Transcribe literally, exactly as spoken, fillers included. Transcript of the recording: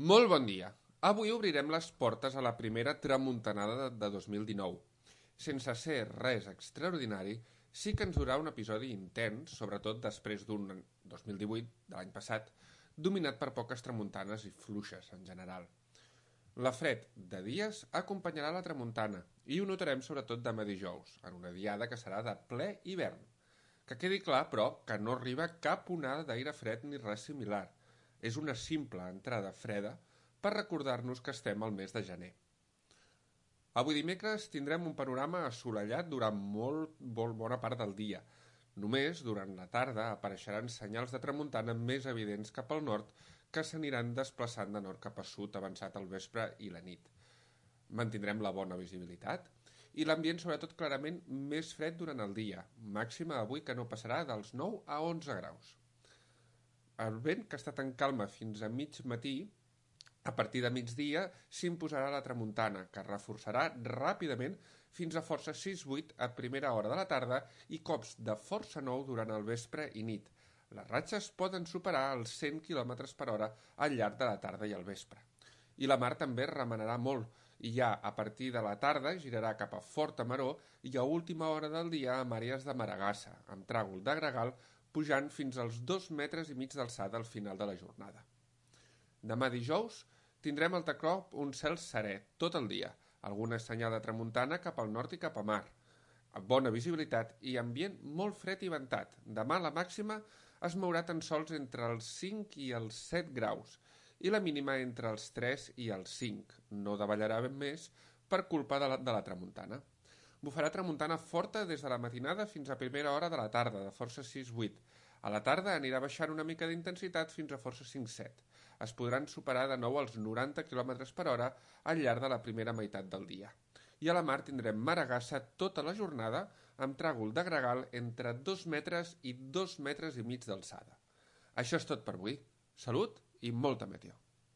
Molt bon dia. Avui obrirem les portes a la primera tramuntanada de dos mil dinou. Sense ser res extraordinari, sí que ens durà un episodi intens, sobretot després d'un dos mil divuit, de l'any passat, dominat per poques tramuntanes i fluixes en general. La fred de dies acompanyarà la tramuntana i ho notarem sobretot demà dijous, en una diada que serà de ple hivern. Que quedi clar, però, que no arriba cap onada d'aire fred ni res similar. És una simple entrada freda per recordar-nos que estem al mes de gener. Avui dimecres tindrem un panorama assolellat durant molt, molt bona part del dia. Només durant la tarda apareixeran senyals de tramuntana més evidents cap al nord que s'aniran desplaçant de nord cap a sud avançat al vespre i la nit. Mantindrem la bona visibilitat i l'ambient sobretot clarament més fred durant el dia, màxima avui que no passarà dels nou a onze graus. El vent, que ha estat en calma fins a mig matí, a partir de migdia s'imposarà la tramuntana, que es reforçarà ràpidament fins a força sis vuit a primera hora de la tarda i cops de força nou durant el vespre i nit. Les ratxes poden superar els cent quilòmetres per hora al llarg de la tarda i el vespre. I la mar també remenarà molt, i ja a partir de la tarda girarà cap a forta maror i a última hora del dia amb àrees de maragassa, amb tràgol de gregal, pujant fins als dos metres i mig d'alçada al final de la jornada. Demà dijous tindrem al Tacrop un cel serè tot el dia, alguna senyal de tramuntana cap al nord i cap a mar, amb bona visibilitat i ambient molt fred i ventat. Demà la màxima es mourà tan sols entre els cinc i els set graus i la mínima entre els tres i els cinc. No davallarà ben més per culpa de la, de la tramuntana. Bufarà tramuntana forta des de la matinada fins a primera hora de la tarda, de força sis vuit. A la tarda anirà baixant una mica d'intensitat fins a força cinc set. Es podran superar de nou els noranta quilòmetres per hora al llarg de la primera meitat del dia. I a la mar tindrem maragassa tota la jornada amb tràgol de gregal entre dos metres i dos metres i mig d'alçada. Això és tot per avui. Salut i molta meteo.